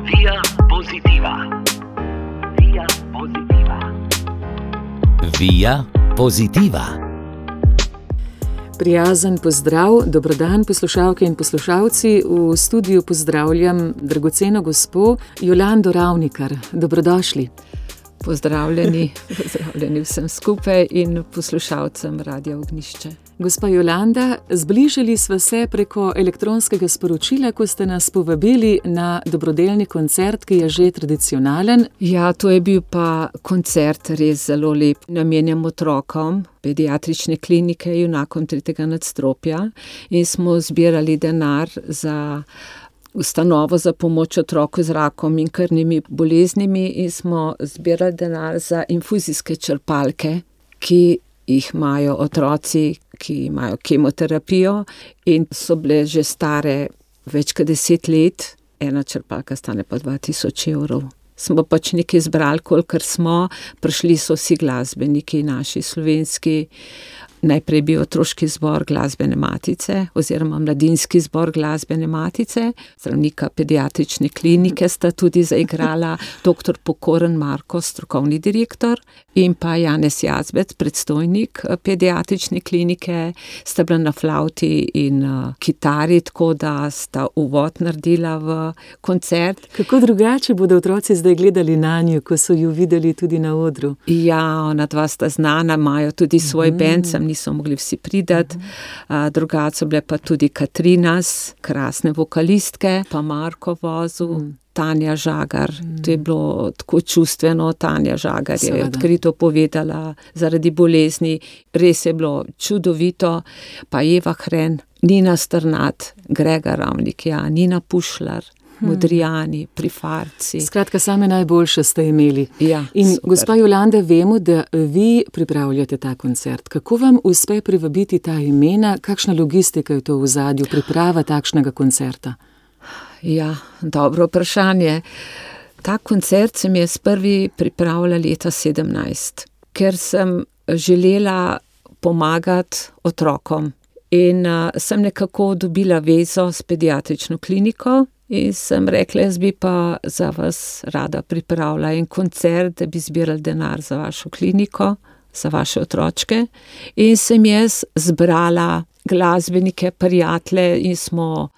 Via Positiva. Via Positiva. Via Positiva. Prijazen pozdrav, dobrodan poslušalke in poslušalci. V studiu pozdravljam dragoceno gospo Jolando Ravnikar. Dobrodošli. Pozdravljeni vsem skupaj in poslušalcem Radia Ognjišče. Gospa Jolanda, zbližali sva se preko elektronskega sporočila, ko ste nas povabili na dobrodelni koncert, ki je že tradicionalen. Ja, to je bil pa koncert res zelo lep. Namenjam otrokom pediatrične klinike Junakom 3. nadstropja in smo zbirali denar za ustanovo za pomoč otroku z rakom in krvnimi boleznimi in smo zbirali denar za infuzijske črpalke, ki jih imajo otroci, ki imajo kemoterapijo in so bile že stare več kot 10 let. Ena črpalka stane pa 2000 evrov. Smo pač nekaj zbrali, kolikor smo. Prišli so vsi glasbeniki, naši slovenski. Najprej bil otroški zbor Glasbene matice oziroma mladinski zbor Glasbene matice. Zdravnika pediatrične klinike sta tudi zaigrala, dr. Pokoren Marko, strokovni direktor, in pa Janez Jazbec, predstojnik pediatrične klinike, sta bila na flavti in kitari, tako da sta uvod naredila v koncert. Kako drugače bodo otroci zdaj gledali nanjo, ko so ju videli tudi na odru? Ja, ona dva sta znana, imajo tudi svoj band, niso mogli vsi pridati. Drugače so bile pa tudi Katrinas, krasne vokalistke, pa Marko vozil, Tanja Žagar. To je bilo tako čustveno. Tanja Žagar je odkrito povedala zaradi bolezni. Res je bilo čudovito. Pa Eva Hren, Nina Strnad, Grega Ravnik, Nina Pušlar, Modrijani, Prifarci. Skratka, same najboljše ste imeli. Ja, in super. Gospa Jolanda, vemo, da vi pripravljate ta koncert. Kako vam uspe privabiti ta imena? Kakšna logistika je to v ozadju, priprava takšnega koncerta? Ja, dobro vprašanje. Ta koncert sem jaz prvi pripravila leta 2017, ker sem želela pomagati otrokom. In sem nekako dobila vezo s pediatrično kliniko in sem rekla, jaz bi pa za vas rada pripravila en koncert, da bi zbirali denar za vašo kliniko, za vaše otročke. In sem jaz zbrala glasbenike, prijatelje in smo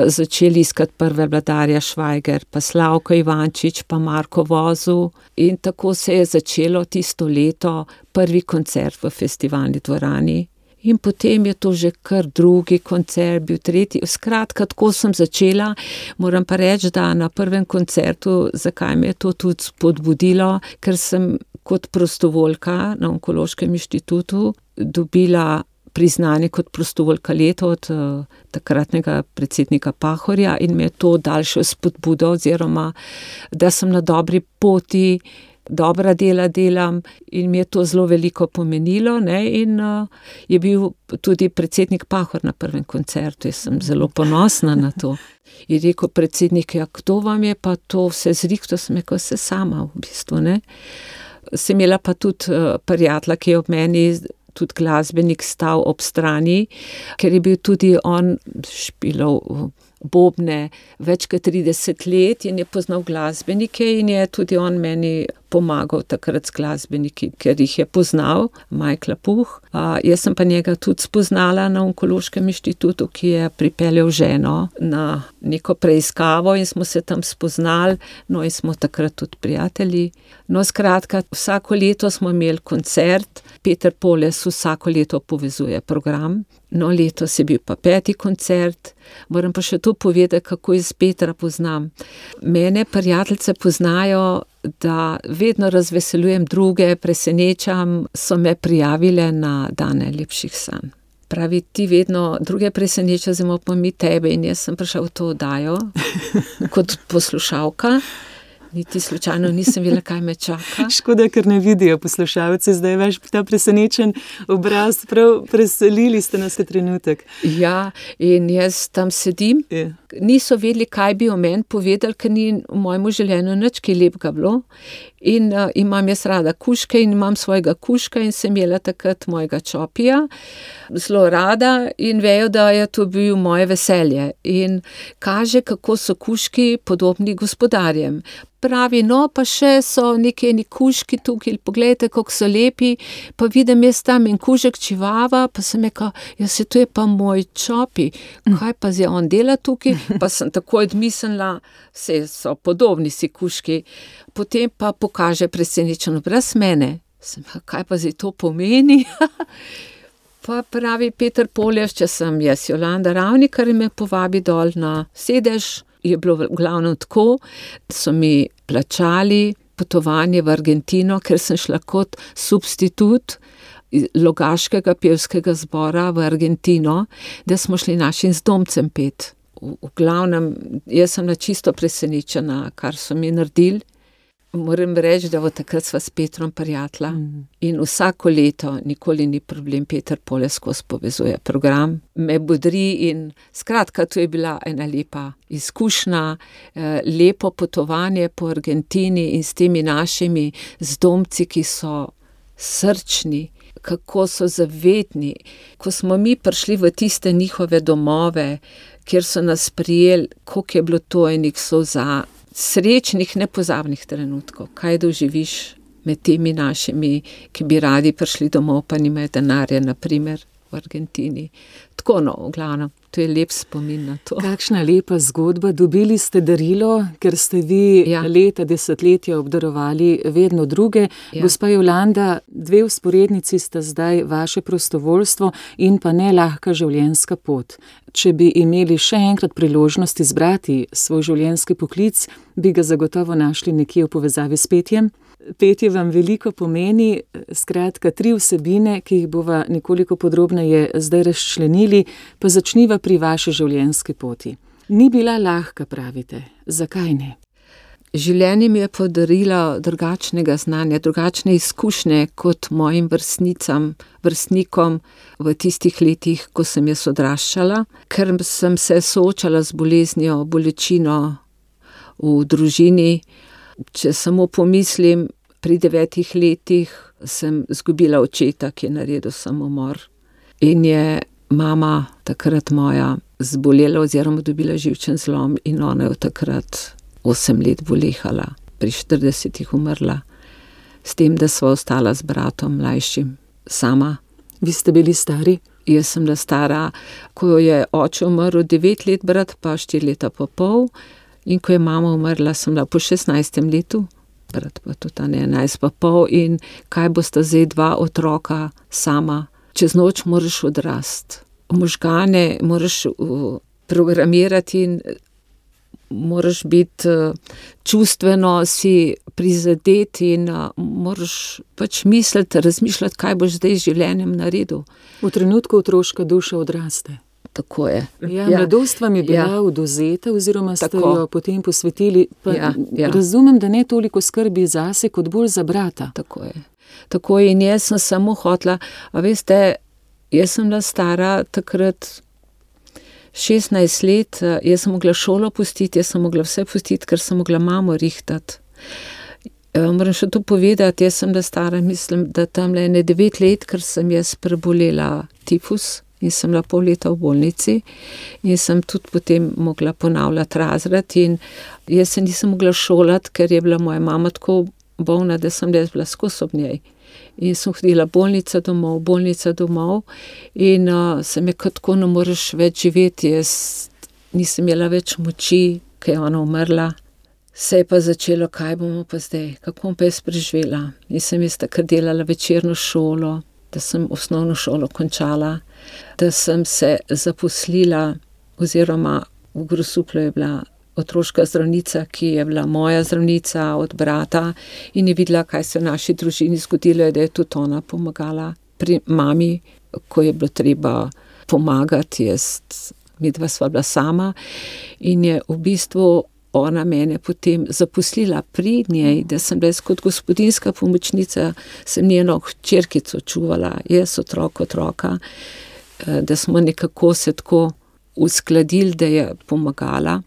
začeli iskati prve Vladarja Švajger, pa Slavko Ivančič, pa Marko Vozu. In tako se je začelo tisto leto prvi koncert v festivalni dvorani. In potem je to že kar drugi koncert, bil tretji. Skratka, tako sem začela. Moram pa reči, da na prvem koncertu, zakaj me je to tudi spodbudilo, ker sem kot prostovoljka na Onkološkem inštitutu dobila priznanje kot prostovoljka leta od takratnega predsednika Pahorja in me je to daljše spodbudo, oziroma da sem na dobri poti, dobra dela delam in mi je to zelo veliko pomenilo, ne? In je bil tudi predsednik Pahor na prvem koncertu, jaz sem zelo ponosna na to. Je rekel predsednik, ja, kdo vam je pa to vse zrihtal, sem rekel, vse sama v bistvu, ne. Sem imela pa tudi prijatelja, ki je ob meni, tudi glasbenik, stal ob strani, ker je bil tudi on špilov bobne več kot 30 let in je poznal glasbenike in je tudi on meni pomagal takrat s glasbeniki, ker jih je poznal, Michaela Puh. Jaz sem pa njega tudi spoznala na Onkološkem inštitutu, ki je pripeljal ženo na neko preiskavo in smo se tam spoznali, no in smo takrat tudi prijatelji. No, skratka, vsako leto smo imeli koncert, Peter Poles vsako leto povezuje program. No, letos je bil pa 5. koncert. Moram pa še to povedati, kako jaz Petra poznam. Mene prijateljice poznajo, da vedno razveseljujem druge, presenečam, so me prijavile na dan najlepših sanj. Pravi, ti vedno druge preseneča, zdaj pa mi tebe, in jaz sem prišla v to oddajo kot poslušalka. Niti slučajno nisem vedela, kaj me čaka. Škoda, ker ne vidijo poslušalci, zdaj veš ta presenečen obraz, prav preselili ste nas v trenutek. Ja, in jaz tam sedim, niso vedeli, kaj bi o meni povedali, ker ni v mojem življenju nič kaj lepega bilo. In imam jaz rada kužke in imam svojega kužka in sem imela takrat mojega čopija, zelo rada in vejo, da je to bil moje veselje. In kaže, kako so kužki podobni gospodarjem. Pravi, no, pa še so neki kužki tukaj, poglejte, kako so lepi, pa vidim jaz tam en kužek čivava, pa sem rekel, ja, se to je pa moj čopi, kaj pa zdaj on dela tukaj, pa sem tako odmislila, vse so podobni si kužki, potem pa pokaže presenečen obraz mene, sem rekel, kaj pa zdaj to pomeni? Pa pravi Peter Poljaš, če sem jaz Jolanda Ravnikar in me povabi dol na sedež, je bilo v glavnem tako, so mi plačali potovanje v Argentino, ker sem šla kot substitut Logaškega pevskega zbora v Argentino, da smo šli našim zdomcem pet. V glavnem, jaz sem čisto presenečena, kar so mi naredili. Moram reči, da od takrat sva s Petrom prijatelja in vsako leto, nikoli ni problem, Peter Poljaš skozi povezuje program, me bodri in skratka, to je bila ena lepa izkušnja, lepo potovanje po Argentini in s temi našimi zdomci, ki so srčni, kako so zavedni. Ko smo mi prišli v tiste njihove domove, kjer so nas prijeli, koliko je bilo to enih solza, srečnih, nepozabnih trenutkov, kaj doživiš med temi našimi, ki bi radi prišli domov, pa nimajo denarja, na primer v Argentini. Tako no, v glavnem, to je lep spomin na to. Kakšna lepa zgodba, dobili ste darilo, ker ste vi leta, desetletja obdarovali vedno druge. Gospa Jolanda, dve vzporednici sta zdaj vaše prostovoljstvo in pa ne lahka življenjska pot. Če bi imeli še enkrat priložnost izbrati svoj življenjski poklic, bi ga zagotovo našli nekje v povezavi s petjem. Petje vam veliko pomeni, skratka 3 vsebine, ki jih bova nekoliko podrobneje zdaj razčlenili, pa začniva pri vaši življenjski poti. Ni bila lahka, pravite. Zakaj ne? Življenje mi je podarilo drugačnega znanja, drugačne izkušnje kot mojim vrstnikom v tistih letih, ko sem jaz odraščala, ker sem se soočala z boleznijo, bolečino v družini. Če samo pomislim, pri 9 letih sem izgubila očeta, ki je naredil samomor. In je mama takrat moja zbolela oziroma dobila živčen zlom in ona je od takrat 8 let bolehala, pri 40 umrla, s tem, da sva ostala z bratom mlajšim sama. Vi ste bili stari? Jaz sem bila stara, ko je oče umrl 9 let, brat pa 4 leta pa pol, in ko je mama umrla, sem bila po 16. letu, brat pa tudi 11 pa pol, in kaj bosta zdaj 2 otroka sama, čez noč moraš odrasti. Možgane moraš programirati in moraš biti čustveno si prizadet in moraš pač misliti, razmišljati, kaj boš zdaj z življenjem naredil. V trenutku otroška duša odraste. Tako je. Mladost vam je bila odvzeta oziroma ste jo potem posvetili, pa razumem, da ne toliko skrbi zase, kot bolj za brata. Tako je. Tako je in jaz sem samo hotela, a veste, jaz sem bila stara takrat 16 let, jaz sem mogla šolo pustiti, jaz sem mogla vse pustiti, ker sem mogla mamo rihtati. Moram še to povedati, jaz sem bila stara, mislim, da tamle 9 let, ker sem jaz prebolela tifus in sem bila pol leta v bolnici in sem tudi potem mogla ponavljati razred in jaz se nisem mogla šolati, ker je bila moja mama tako bolna, da sem jaz bila skozi ob njej. In sem hodila bolnica domov in sem je tako, ne moreš več živeti, jaz nisem imela več moči, ker je ona umrla. Se je pa začelo, kaj bomo pa zdaj, kako bom pa jaz preživela. Nisem jaz takrat delala večerno šolo, da sem osnovno šolo končala, da sem se zaposlila, oziroma v Grosuplju je bila otroška zdravnica, ki je bila moja zdravnica od brata in je videla, kaj se v naši družini zgodilo, da je tudi ona pomagala pri mami, ko je bilo treba pomagati, midva sva bila sama in je v bistvu ona mene potem zaposlila pri njej, da sem bila kot gospodinjska pomočnica, sem njeno hčerkico čuvala, jaz otroka, da smo nekako se tako uskladili, da je pomagala.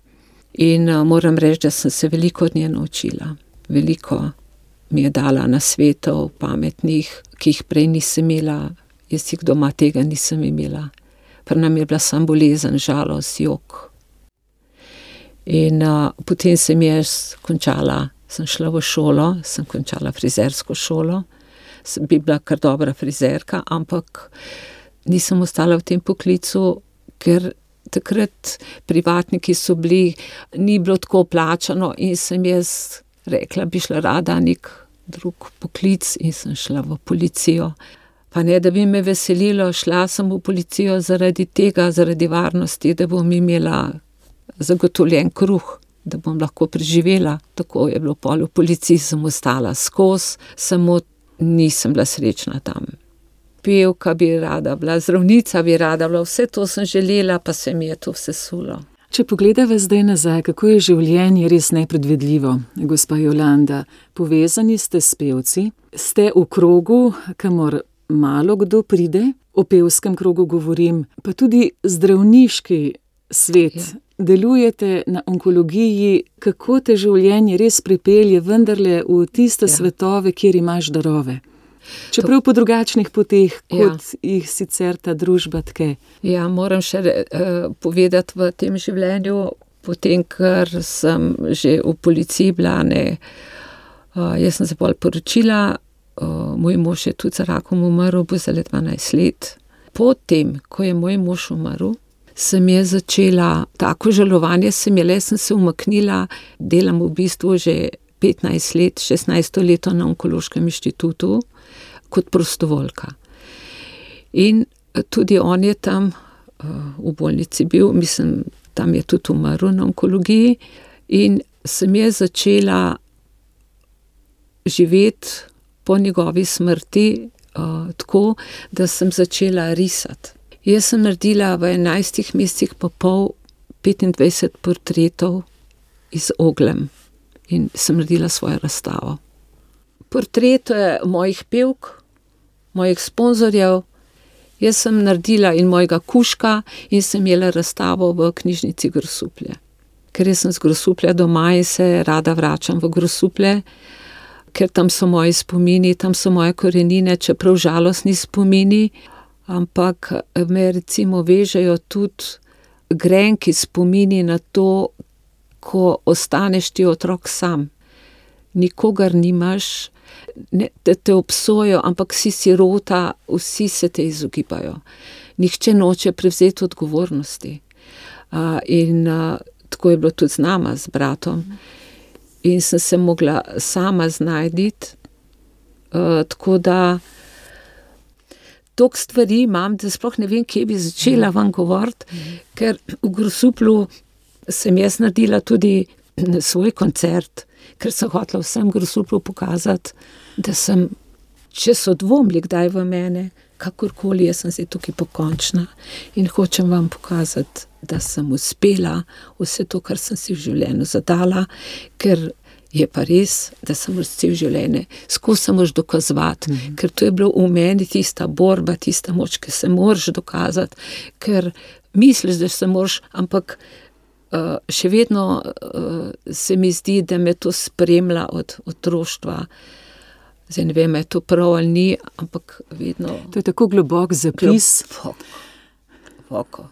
In moram reči, da sem se veliko od nje naučila. Veliko mi je dala nasvetov, pametnih, ki jih prej nisem imela. Jaz jih doma tega nisem imela. Pri nam je bila samo bolezen, žalost, jok. In potem sem jaz končala, sem šla v šolo, sem končala frizersko šolo. Bi bila kar dobra frizerka, ampak nisem ostala v tem poklicu, ker takrat privatniki so bili, ni bilo tako plačano in sem jaz rekla, bi šla rada nek drug poklic in sem šla v policijo. Pa ne, da bi me veselilo, šla sem v policijo zaradi tega, zaradi varnosti, da bom imela zagotovljen kruh, da bom lahko preživela. Tako je bilo pol v policiji, sem ostala skozi, samo nisem bila srečna tam. Pevka bi rada bila, zdravnica bi rada bila, vse to sem želela, pa se mi je to vse sulo. Če pogledava zdaj nazaj, kako je življenje res nepredvidljivo, gospa Jolanda, povezani ste s pevci, ste v krogu, kamor malo kdo pride, o pevskem krogu govorim, pa tudi zdravniški svet. Ja. Delujete na onkologiji, kako te življenje res pripelje vendarle v tiste svetove, kjer imaš darove. Čeprav po drugačnih poteh, kot jih sicer ta družba tke. Ja, moram še povedati v tem življenju, potem, ker sem že v policiji bila, jaz sem se bolj poročila, moj mož je tudi za rakom umrl, bo zdaj 12 let. Potem, ko je moj mož umrl, sem je začela, tako žalovanje sem se umaknila, delam v bistvu že 15 let, 16 leto na Onkološkem inštitutu kot prostovoljka. In tudi on je tam v bolnici bil, mislim, tam je tudi umrl na onkologiji in sem je začela živeti po njegovi smrti tako, da sem začela risati. Jaz sem naredila v 11 mesecih pa pol 25 portretov iz oglem in sem naredila svojo razstavo. Portrete mojih pevk, mojih sponzorjev, jaz sem naredila in mojega kužka in sem imela razstavo v knjižnici Grosuplje. Ker jaz sem z Grosuplja doma in se rada vračam v Grosuplje, ker tam so moji spomini, tam so moje korenine, čeprav žalostni spomini, ampak me recimo vežejo tudi grenki spomini na to, ko ostaneš ti otrok sam. Nikogar nimaš, ne, da te obsojo, ampak si sirota, vsi se te izogibajo. Nihče noče prevzeti odgovornosti. Tako je bilo tudi z nama, z bratom. In sem se mogla sama znajditi, tako da toliko stvari imam, da sploh ne vem, kje bi začela vam govoriti, ker v Grosuplju sem jaz naredila tudi svoj koncert, ker sem hotela vsem Grosuplju pokazati, da sem, če so dvomili kdaj v mene, kakorkoli, jaz sem zdaj tukaj pokončna in hočem vam pokazati, da sem uspela vse to, kar sem si v življenju zadala, ker je pa res, da sem vse v življenje skozi se moraš dokazovati, ker to je bilo v meni tista borba, tista moč, ki se moraš dokazati, ker misliš, da se moraš, ampak še vedno se mi zdi, da me to spremlja od otroštva. Zdaj ne vem, je to prav ali ni, ampak vedno. To je tako globok zapis. Globoko.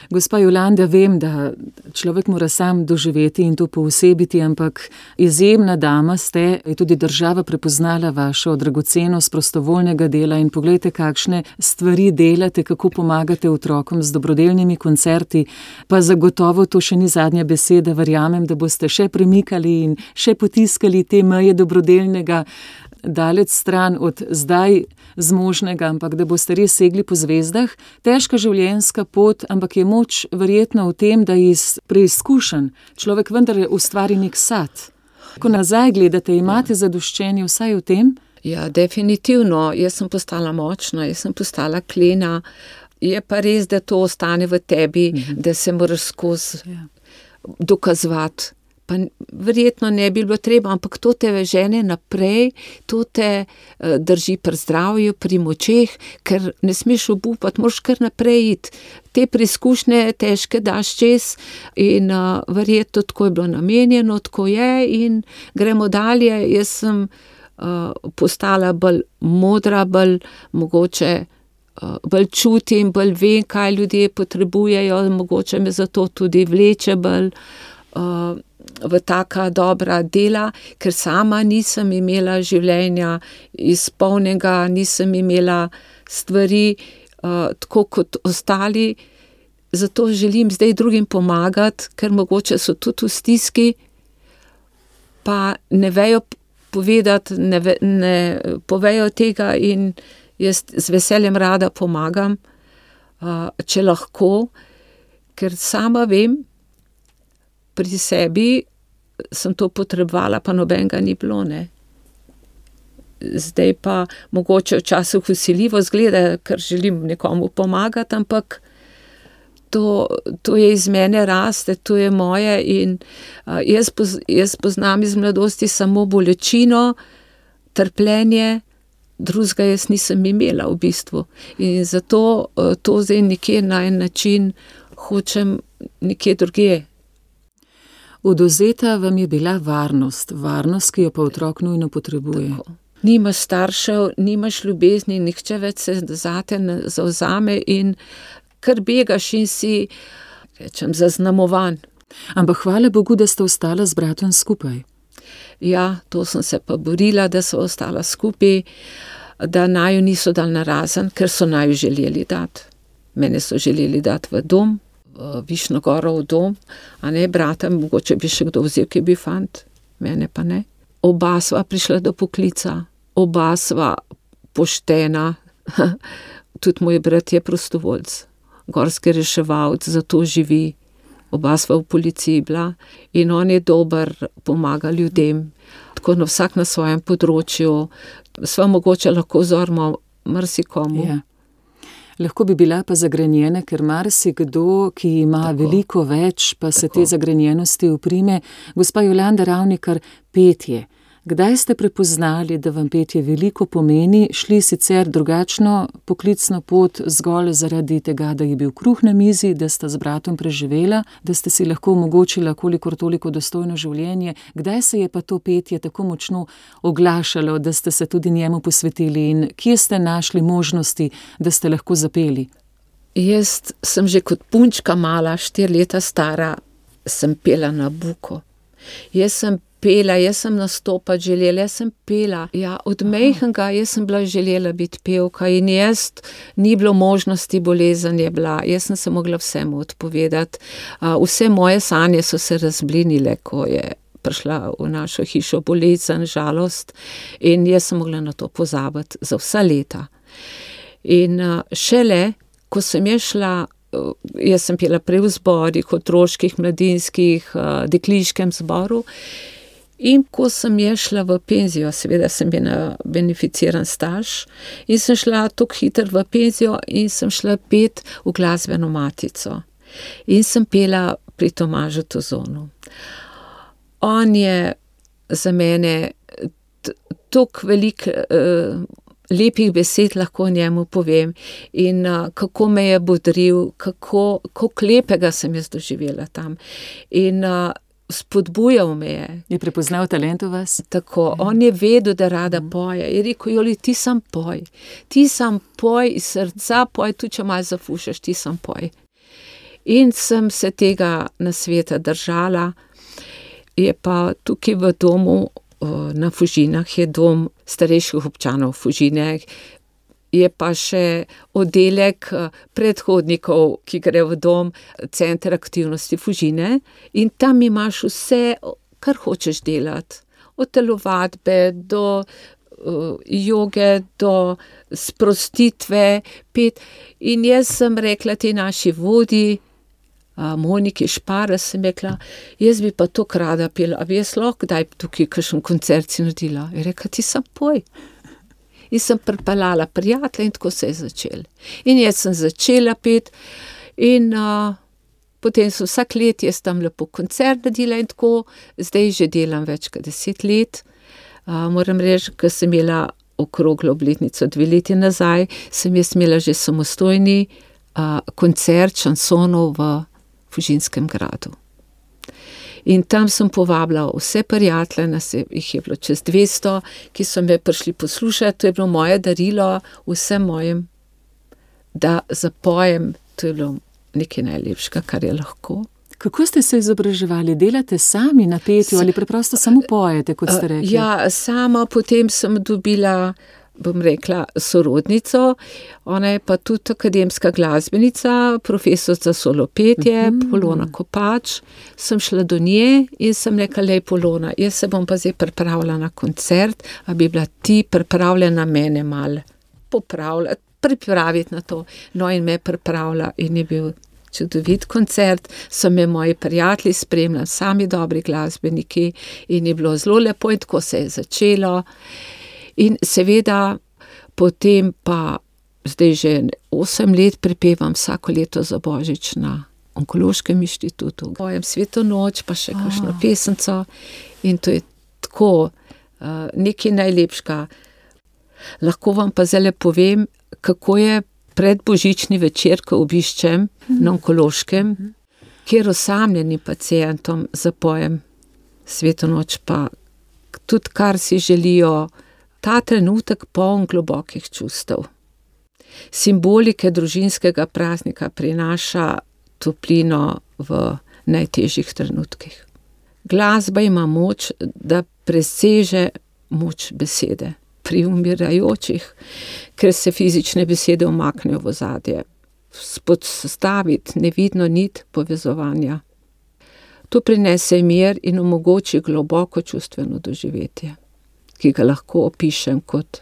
Gospa Jolanda, vem, da človek mora sam doživeti in to poosebiti, ampak izjemna dama ste, je tudi država prepoznala vašo dragocenost prostovoljnega dela in poglejte, kakšne stvari delate, kako pomagate otrokom z dobrodelnimi koncerti, pa zagotovo to še ni zadnja beseda, verjamem, da boste še premikali in še potiskali te meje dobrodelnega daleč stran od zdaj zmožnega, ampak da boste res segli po zvezdah. Težka življenjska pot, ampak je moč verjetno v tem, da iz preizkušenj človek vendar ustvari nek sad. Ko nazaj gledate, imate zadoščenje vsaj v tem? Ja, definitivno. Jaz sem postala močna, jaz sem postala klena. Je pa res, da to ostane v tebi, da se moraš skozi dokazovati. pa verjetno ne bi bilo treba, ampak to te žene naprej, to te drži pri zdravju, pri močeh, ker ne smeš obupati, moraš kar naprej iti. Te preizkušnje težke daš čez in verjetno tako je bilo namenjeno, tako je in gremo dalje. Jaz sem postala bolj modra, bolj mogoče bolj čutim, bolj vem, kaj ljudje potrebujejo, mogoče me zato tudi vleče bolj v taka dobra dela, ker sama nisem imela življenja izpolnjenega, nisem imela stvari tako kot ostali, zato želim zdaj drugim pomagati, ker mogoče so tudi v stiski, pa ne vejo povedati, ne povejo tega in jaz z veseljem rada pomagam, če lahko, ker sama vem, pri sebi sem to potrebovala, pa nobenega ni bilo, ne. Zdaj pa mogoče včasih vsiljivo izgleda, ker želim nekomu pomagati, ampak to je iz mene raste, to je moje in jaz poznam iz mladosti samo bolečino, trpljenje, drugega jaz nisem imela v bistvu. In zato to zdaj nekje na en način hočem nekje drugje. Odvzeta vam je bila varnost, ki jo pa otrok nujno potrebuje. Tako. Nimaš staršev, nimaš ljubezni, nihče več se zate ne zavzame in kar begaš in si, rečem, zaznamovan. Ampak hvala Bogu, da ste ostala z bratom skupaj. Ja, to sem se pa borila, da so ostala skupaj, da naju niso dali narazen, ker so naju želeli dati. Mene so želeli dati v dom, v Višnjo Goro v dom, a ne brata, mogoče bi še kdo vzel, ki bi fant, mene pa ne. Oba sva prišla do poklica, oba sva poštena, tudi moj brat je prostovoljc, gorski reševalec, zato živi. Oba sva v policiji bila in on je dober, pomaga ljudem, tako na vsak na svojem področju, sva mogoče lahko vzorimo marsikomu. Ja. Lahko bi bila pa zagrenjena, ker marsikdo, ki ima veliko več, pa se te zagrenjenosti uprime. Gospa Jolanda Ravnikar, petje. Kdaj ste prepoznali, da vam petje veliko pomeni, šli sicer drugačno poklicno pot zgolj zaradi tega, da je bil kruh na mizi, da sta z bratom preživela, da ste si lahko omogočila kolikor toliko dostojno življenje? Kdaj se je pa to petje tako močno oglašalo, da ste se tudi njemu posvetili in kje ste našli možnosti, da ste lahko zapeli? Jaz sem že kot punčka mala, 4 leta stara, sem pela na buko. Jaz sem nastopati želela, jaz sem pela. Ja, od majhnega jaz sem bila želela biti pevka in ni bilo možnosti, bolezen je bila. Jaz sem se mogla vsemu odpovedati. Vse moje sanje so se razblinile, ko je prišla v našo hišo bolezen, žalost in jaz sem mogla na to pozabiti za vsa leta. In šele, ko sem šla, jaz sem pela prej v zborih, otroških, mladinskih, dekliškem zboru. In ko sem šla v penzijo, seveda sem bila beneficiran staž, in sem šla tako hitro v penzijo in sem šla pet v glasbeno matico. In sem pela pri Tomažu Tozonu. On je za mene toliko veliko lepih besed lahko njemu povem in kako me je bodril, kako lepega sem jaz doživela tam. In spodbujal me je. Je prepoznal talent v vas? Tako, on je vedel, da rada poje. Je rekel, Joli, ti sam poj iz srca, poj, tudi če malo zafušaš, ti sam poj. In sem se tega nasveta držala. Je pa tukaj v domu na Fužinah, je dom starejših občanov Fužine, je pa še oddelek predhodnikov, ki gre v dom, center aktivnosti Fužine in tam imaš vse, kar hočeš delati. Od telovadbe do joge, do sprostitve, pet. In jaz sem rekla tej naši vodji, Moniki Špara, sem rekla, jaz bi pa to rada pela, a bi jaz lahko kdaj tukaj kakšen koncert si naredila. Je rekla, ti sam poj. In sem pripeljala prijatelja in tako se je začelo. In jaz sem začela peti in Potem sem vsak let jaz tam lepo koncert naredila in tako, zdaj že delam več kot 10 let. Moram reči, ko sem imela okroglo obletnico 2 leti nazaj, sem jaz imela že samostojni koncert šansonov v Fužinskem gradu. In tam sem povabila vse prijatelje, jih je bilo čez 200, ki so me prišli poslušati, to je bilo moje darilo vsem mojim, da zapojem, to je bilo nekaj najlepšega, kar je lahko. Kako ste se izobraževali? Delate sami na petju ali preprosto samo pojete, kot ste rekli? Ja, sama potem sem dobila, bom rekla, sorodnico, ona je pa tudi akademska glasbenica, profesorica solopetje, Polona Kopač. Sem šla do nje in sem rekla, lej Polona, jaz se bom pa zdaj pripravila na koncert, a bi bila ti pripravljena mene malo popravljati, pripraviti na to. No in me pripravila in je bil čudovit koncert, so me moji prijatelji spremljali, sami dobri glasbeniki in je bilo zelo lepo in tako se je začelo. In seveda potem pa zdaj že 8 let prepevam vsako leto za Božič na Onkološkem inštitutu. Pojem Sveto noč, pa še kakšno pesemco in to je tako nekaj najlepšega. Lahko vam pa zdaj povem, kako je predbožični večer, ko obiščem na Onkološkem, kjer osamljenim pacientom zapojem Sveto noč, pa tudi kar si želijo, ta trenutek poln globokih čustev. Simbolike družinskega praznika prinaša toplino v najtežjih trenutkih. Glasba ima moč, da preseže moč besede pri umirajočih, ker se fizične besede umaknejo v ozadje. Spostaviti nevidno nit povezovanja. To prinese mir in omogoči globoko čustveno doživetje, ki ga lahko opišem kot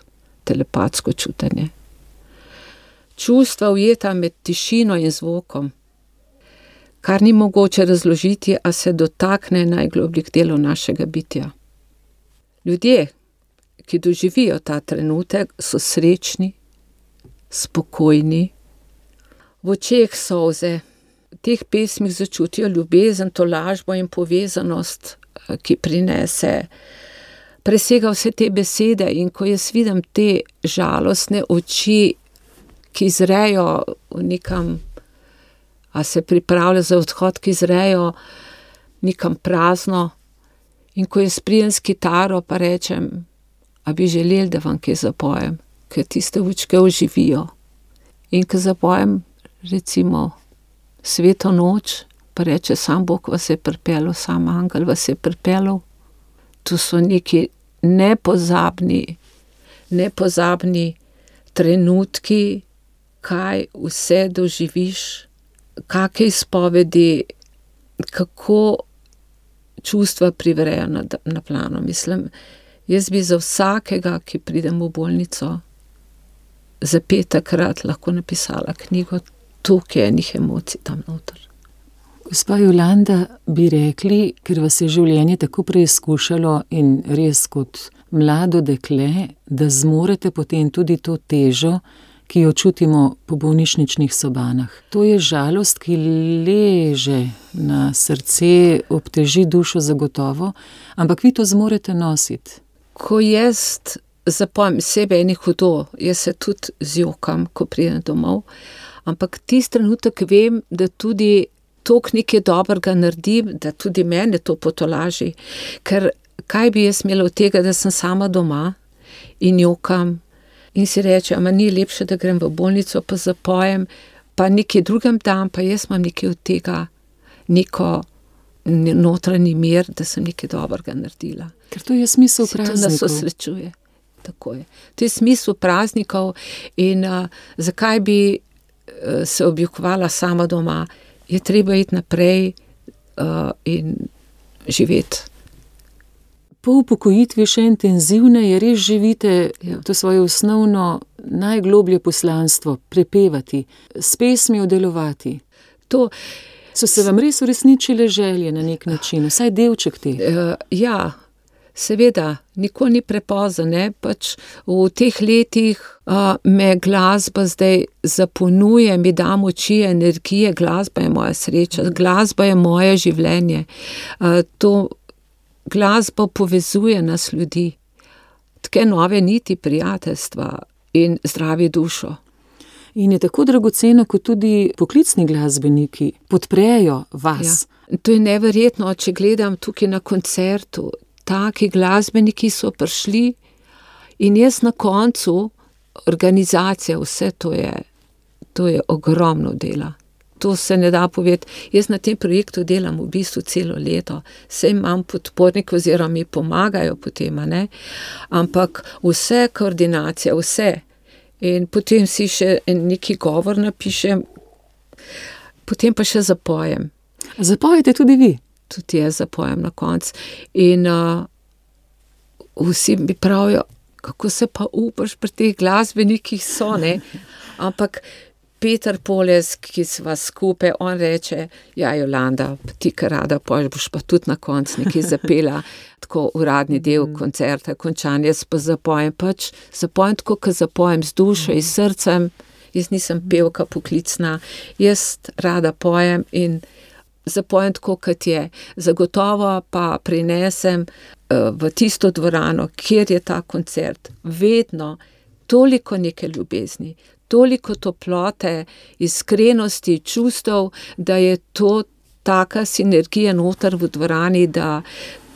telepatsko čutenje. Čustva ujeta med tišino in zvokom, kar ni mogoče razložiti, a se dotakne najglobljih delov našega bitja. Ljudje, ki doživijo ta trenutek, so srečni, spokojni, v očeh solze, v teh pesmih začutijo ljubezen, tolažbo in povezanost, ki prinese, presega vse te besede in ko jaz vidim te žalostne oči, ki zrejo nekam, a se pripravlja za odhod, ki zrejo nekam prazno in ko jaz pridem s kitaro, pa rečem, a bi želeli, da vam kaj zapojem, ker tiste očke oživijo. In ko zapojem, recimo, Sveto noč, pa reče, sam Bog vas je pripeljal, sam angel vas je pripeljal. To so neki nepozabni trenutki, kaj vse doživiš, kakšne izpovedi, kako čustva privrejo na plano. Mislim, jaz bi za vsakega, ki pridem v bolnico, za 5-krat lahko napisala knjigo, toliko je enih emocij tam noter. Gospa Jolanda, bi rekli, ker vas je življenje tako preizkušalo in res kot mlado dekle, da zmorete potem tudi to težo, ki jo čutimo po bolnišničnih sobanah. To je žalost, ki leže na srce, obteži dušo zagotovo, ampak vi to zmorete nositi. Ko jaz zapojem sebe eni hudo, jaz se tudi zjokam, ko pridem domov, ampak tisti trenutek vem, da tudi toliko nekaj dobrega naredim, da tudi mene to potolaži. Ker kaj bi jaz imela od tega, da sem sama doma in jokam in si reče, ama ni lepše, da grem v bolnico, pa zapojem, pa nekaj drugem dan, pa jaz imam nekaj od tega, neko notranji mir, da sem nekaj dobrega naredila. Ker to je smisel praznikov. To nas osrečuje. Tako je. To je smisel praznikov in zakaj bi se objokovala sama doma, je treba iti naprej in živeti. Po upokojitvi še intenzivneje res živite to svoje osnovno, najgloblje poslanstvo, prepevati, s pesmijo delovati. So se vam res uresničile želje na nek način, vsaj delček teh? Ja, Seveda, nikoli ni prepozno, ne, pač v teh letih me glasba zdaj zapolnjuje, mi da moči, energije, glasba je moja sreča, glasba je moje življenje. To glasba povezuje nas ljudi, take nove niti prijateljstva in zdravi dušo. In je tako dragoceno, kot tudi poklicni glasbeniki podprejo vas. Ja. To je neverjetno, če gledam tukaj na koncertu, taki glasbeniki so prišli in jaz na koncu, organizacija, vse to je ogromno dela. To se ne da povedati. Jaz na tem projektu delam v bistvu celo leto. Saj imam podpornike oziroma mi pomagajo potem, ne? Ampak vse koordinacija, vse. In potem si še neki govor napišem, potem pa še zapojem. Zapojete tudi vi? Tudi jaz zapojem na koncu. In vsi mi pravijo, kako se pa upaš pri teh glasbenikih so, ne? Ampak Peter Poles, ki sva skupaj, on reče, ja, Jolanda, ti kar rada poješ, boš pa tudi na koncu nekaj zapela, tako uradni del koncerta, končanje, jaz pa zapojem tako, kot zapojem z dušo in srcem, jaz nisem pevka poklicna, jaz rada pojem in zapojem tako, kot je. Zagotovo pa prinesem v tisto dvorano, kjer je ta koncert, vedno toliko neke ljubezni, toliko toplote, iskrenosti, čustev, da je to taka sinergija noter v dvorani, da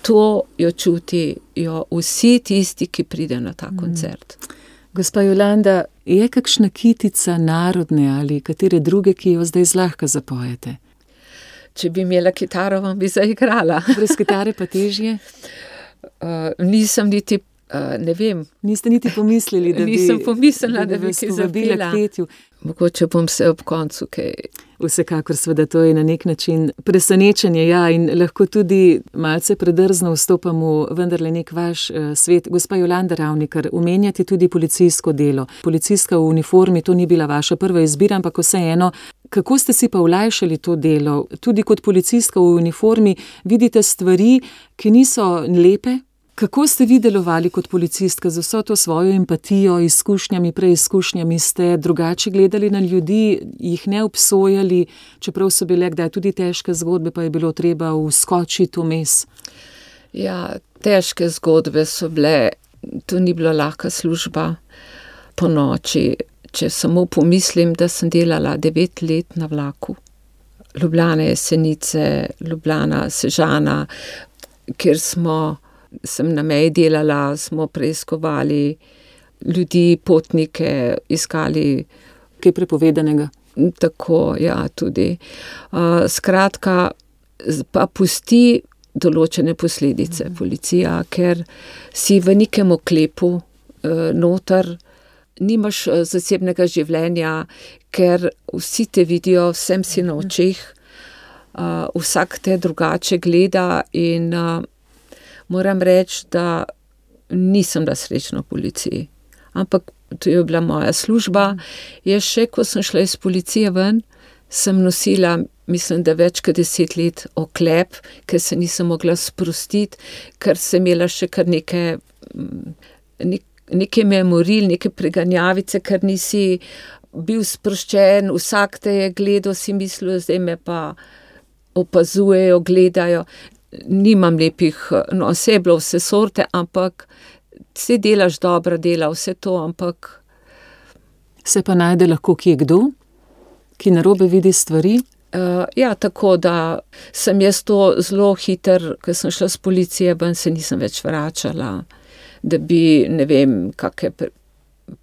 to jo čutijo vsi tisti, ki pridejo na ta koncert. Gospa Jolanda, je kakšna kitica narodne ali katere druge, ki jo zdaj zlahka zapojete? Če bi imela kitaro, vam bi zaigrala. Brez kitare pa težje? Nisem niti ne vem. Niste niti pomislili, da bi... Nisem pomislila, da bi kaj zapela. Mogoče bom se ob koncu kaj... Vsekakor seveda to je na nek način presenečenje, ja, in lahko tudi malce predrzno vstopamo vendarle nek vaš svet. Gospa Jolanda Ravnikar, omenjate tudi policijsko delo. Policijska v uniformi, to ni bila vaša prva izbira, ampak vseeno, kako ste si pa olajšali to delo? Tudi kot policistka v uniformi vidite stvari, ki niso lepe? Kako ste vi delovali kot policistka z vso to svojo empatijo, izkušnjami, preizkušnjami? Ste drugače gledali na ljudi, jih ne obsojali, čeprav so bile kdaj tudi težke zgodbe, pa je bilo treba vskočiti vmes? Ja, težke zgodbe so bile, to ni bila lahka služba po noči. Če samo pomislim, da sem delala 9 let na vlaku. Ljubljana, Jesenice, Ljubljana, Sežana, kjer sem na meji delala, smo preiskovali ljudi, potnike, iskali... Kaj prepovedanega? Tako, ja, tudi. Skratka, pa pusti določene posledice policija, ker si v nekem oklepu noter, nimaš zasebnega življenja, ker vsi te vidijo, vsem si na očeh, vsak te drugače gleda in... Moram reči, da nisem bila srečna v policiji, ampak to je bila moja služba. Jaz še, ko sem šla iz policije ven, sem nosila, mislim, da več kot 10 let oklep, ker se nisem mogla sprostiti, ker sem imela še kar neke memoril, neke preganjavice, ker nisi bil sproščen, vsak te je gledal, si mislil, zdaj me pa opazujejo, gledajo. Nimam lepih, no, vse je bilo vse sorte, ampak vse delaš dobra dela, vse to, ampak... Se pa najde lahko kje kdo, ki narobe vidi stvari? Ja, tako da sem jaz to zelo hiter, ko sem šla z policije ven, se nisem več vračala, da bi, ne vem, kakšne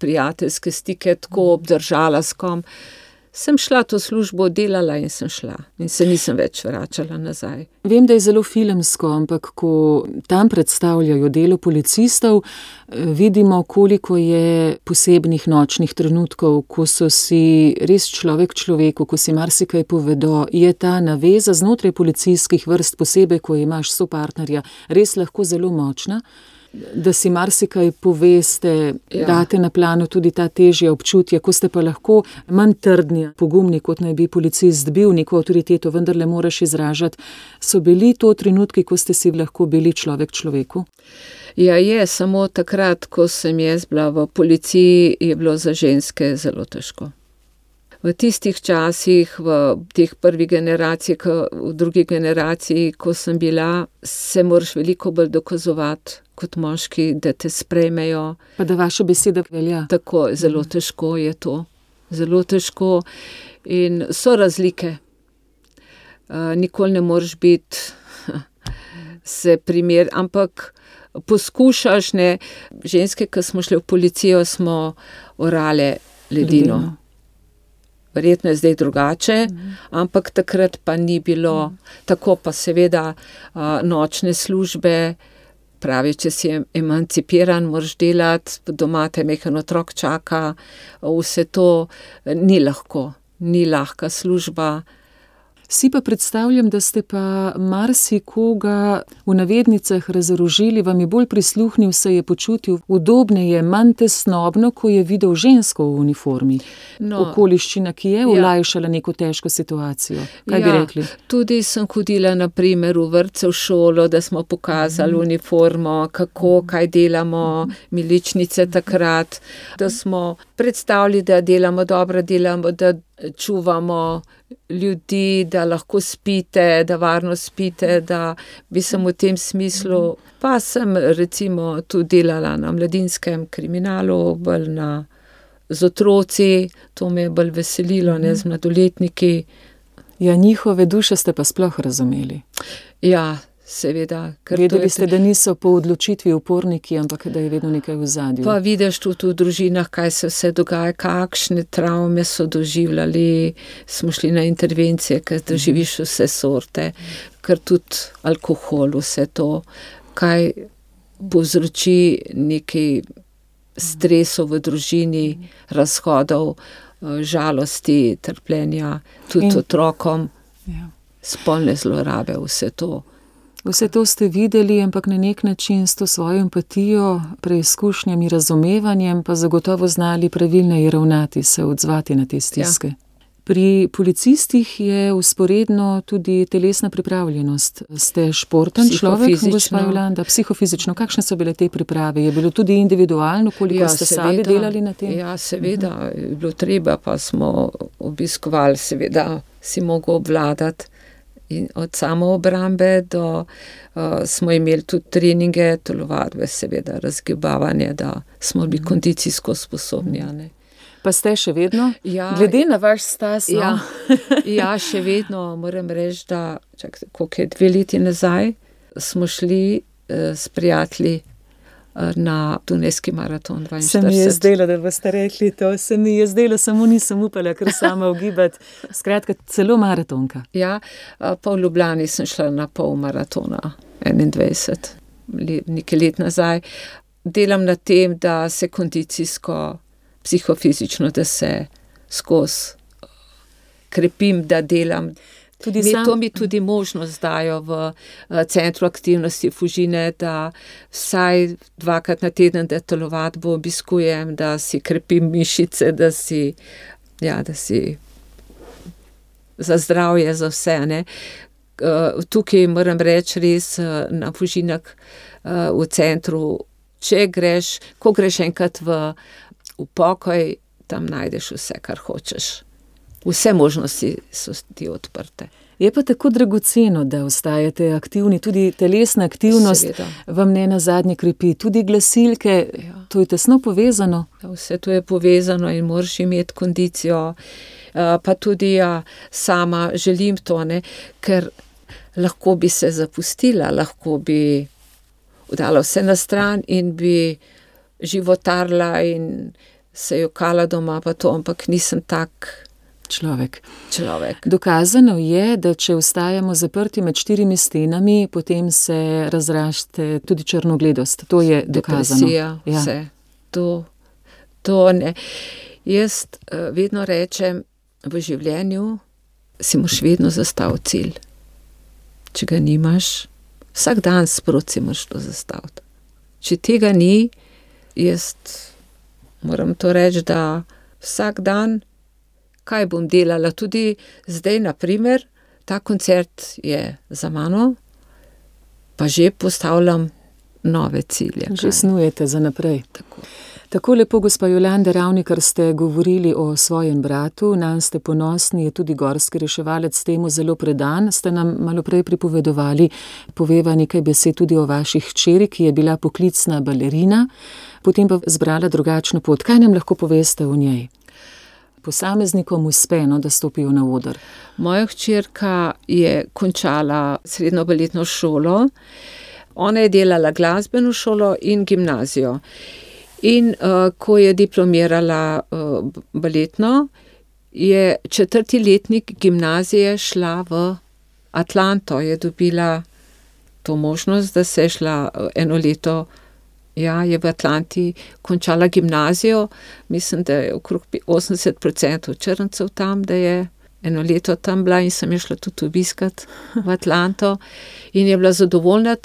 prijateljske stike tako obdržala s kom. Sem šla to službo, delala in sem šla. In se nisem več vračala nazaj. Vem, da je zelo filmsko, ampak ko tam predstavljajo delo policistov, vidimo, koliko je posebnih nočnih trenutkov, ko so si res človek človeku, ko si marsikaj povedo, je ta naveza znotraj policijskih vrst, posebej, ko imaš sopartnerja, res lahko zelo močna. da si marsikaj poveste, date na plano tudi ta težja občutja, ko ste pa lahko manj trdni, pogumni, kot naj bi policist bil, neko avtoriteto vendarle moraš izražati. So bili to trenutki, ko ste si lahko bili človek človeku? Ja, samo takrat, ko sem jaz bila v policiji, je bilo za ženske zelo težko. V tistih časih, v teh prvi generaciji, v drugi generaciji, ko sem bila, se moraš veliko bolj dokazovati kot moški, da te sprejmejo. Pa da vaša beseda velja. Tako, zelo težko je to. Zelo težko. In so razlike. Nikoli ne moreš biti se primer, ampak poskušaš, ne. Ženske, ki smo šle v policijo, smo orale ledino. Verjetno je zdaj drugače, ampak takrat pa ni bilo. Tako pa seveda nočne službe, pravi, če si emancipiran, moraš delati, doma te majhen otrok čaka, vse to ni lahko, ni lahka služba. Si pa predstavljam, da ste pa marsikoga v navednicah razorožili, vam je bolj prisluhnil, se je počutil udobneje, manj tesnobno, ko je videl žensko v uniformi. Okoliščina, ki je olajšala neko težko situacijo. Kaj bi rekli? Tudi sem hodila na primer v vrtce, v šolo, da smo pokazali uniformo, kako, kaj delamo, miličnice takrat, da smo predstavili, da delamo dobro, da čuvamo ljudi, da lahko spite, da varno spite, da bi sem v tem smislu. Pa sem recimo tudi delala na mladinskem kriminalu, bolj z otroci, to me je bolj veselilo, ne z mladoletniki. Ja, njihove duše ste pa sploh razumeli. Ja, seveda. Vedeli ste, da niso po odločitvi uporniki, ampak da je vedno nekaj v zadju. Pa vidiš tudi v družinah, kaj se vse dogaja, kakšne travme so doživljali, smo šli na intervencije, ker doživiš vse sorte, ker tudi alkohol, vse to, kaj povzroči nekaj stresov v družini, razhodov, žalosti, trpljenja, tudi otrokom, spolne zlorabe, vse to. Vse to ste videli, ampak na nek način s to svojo empatijo, preizkušnjami, razumevanjem, pa zagotovo znali pravilneje ravnati, se odzvati na te stiske. Pri policistih je vzporedno tudi telesna pripravljenost. Ste športen človek, gospa Jolanda, psihofizično. Kakšne so bile te priprave? Je bilo tudi individualno, koliko ste sami delali na tem? Ja, seveda, je bilo treba, pa smo obiskovali, seveda, si mogel obvladati. In od samoobrambe do smo imeli tudi treninge, telovadbe, seveda, razgibavanje, da smo bili kondicijsko sposobni. Ne. Pa ste še vedno? Ja, glede na vaš stas, no? Ja, še vedno moram reči, da koliko je 2 leti nazaj, smo šli s prijatelji na Dunajski maraton 42. Se mi je zdelo, da boste rekli to, se mi je zdelo, samo nisem upala, ker sama ugibati. Skratka, celo maratonka. Ja, pa v Ljubljani sem šla na pol maratona, 21, nekaj let nazaj. Delam na tem, da se kondicijsko, psihofizično, da se skozi krepim, da delam. To mi tudi možnost dajo v centru aktivnosti Fužine, da vsaj 2krat na teden, da telovadbo obiskujem, da si krepim mišice, da si za zdravje, za vse. Ne. Tukaj moram reči res na Fužinah v centru, ko greš enkrat v pokoj, tam najdeš vse, kar hočeš. Vse možnosti so ti odprte. Je pa tako dragoceno, da ostajate aktivni, tudi telesna aktivnost vam ne nazadnje krepi, tudi glasilke, to je tesno povezano. Vse to je povezano in moraš imeti kondicijo, pa tudi sama želim to, ne, ker lahko bi se zapustila, lahko bi dala vse na stran in bi životarila in se jokala doma, pa to, ampak nisem tak človek. Človek. Dokazano je, da če ostajamo zaprti med 4 stenami, potem se razraste tudi črnogledost. To je dokazano. Depresija, vse. To ne. Jaz vedno rečem, v življenju si moraš vedno zastaviti cilj. Če ga nimaš, vsak dan sproti si moraš to zastaviti. če tega ni, jaz moram to reči, da vsak dan, kaj bom delala, tudi zdaj, na primer, ta koncert je za mano, pa že postavljam nove cilje. Že snujete za naprej. Tako. Tako lepo, gospa Jolanda Ravnikar, ste govorili o svojem bratu, nanj ste ponosni, je tudi gorski reševalec, temu zelo predan. Ste nam malo prej pripovedovali, poveva nekaj besed tudi o vaši hčeri, ki je bila poklicna balerina, potem pa zbrala drugačno pot. Kaj nam lahko poveste o njej? Posameznikom uspe, da stopijo na oder. Moja hčerka je končala srednjo baletno šolo, ona je delala glasbeno šolo in gimnazijo. In ko je diplomirala baletno, je 4. letnik gimnazije šla v Atlanto, je dobila to možnost, da se je šla eno leto, je v Atlanti končala gimnazijo, mislim, da je okrog 80% črncev tam, da je eno leto tam bila in sem je šla tudi obiskat v Atlanto in je bila zadovoljna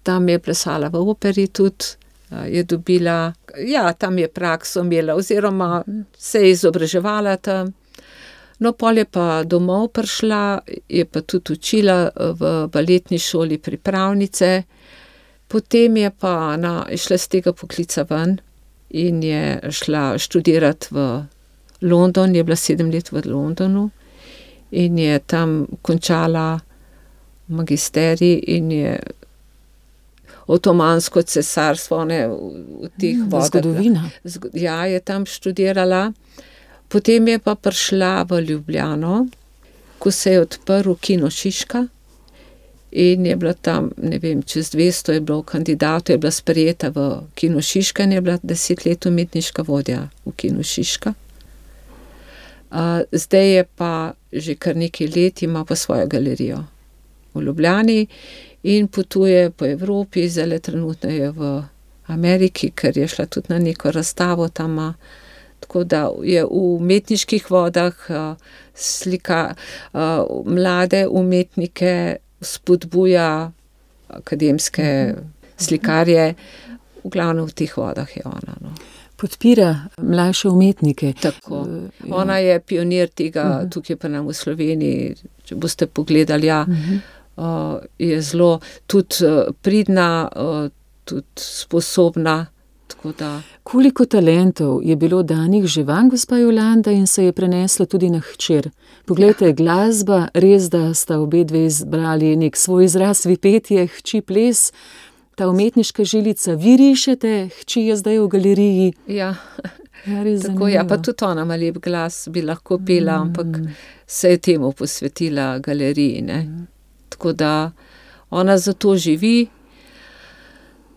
tam je plesala v operi tudi, je dobila, tam je prakso imela oziroma se je izobraževala tam. No, pol je pa domov prišla, je pa tudi učila v baletni šoli pripravnice, potem je pa šla z tega poklica ven in je šla študirati v London, je bila 7 let v Londonu in je tam končala magisterij in je Otomansko cesarstvo, v teh vodah. Zgodovina. Je tam študirala. Potem je pa prišla v Ljubljano, ko se je odprl Kino Šiška in je bila tam, ne vem, čez 200 je bilo kandidatov, je bila sprejeta v Kino Šiška in je bila 10 let umetniška vodja v Kino Šiška. Zdaj je pa že kar nekaj let, ima pa svojo galerijo v Ljubljani in potuje po Evropi, zdaj trenutno je v Ameriki, ker je šla tudi na neko razstavo tam, tako da je v umetniških vodah, slika mlade umetnike, spodbuja akademske slikarje, v glavnem v teh vodah je ona. Podpira mlajše umetnike. Tako. Ona je pionir tega, tukaj pa nam v Sloveniji, če boste pogledali, je zelo tudi pridna, tudi sposobna. Tako da. Koliko talentov je bilo danih že vam, gospa Jolanda, in se je preneslo tudi na hčer? Poglejte, glasba, res, da sta obe dve izbrali nek svoj izraz, vi petje, hči ples, ta umetniška žilica, vi rišete, hči je zdaj v galeriji. Tako, pa tudi ona ima lep glas, bi lahko pela, ampak se je temu posvetila galeriji, ne. Tako da ona zato živi,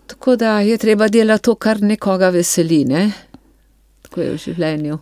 tako da je treba delati to, kar nekoga veseli, ne. Tako je v življenju.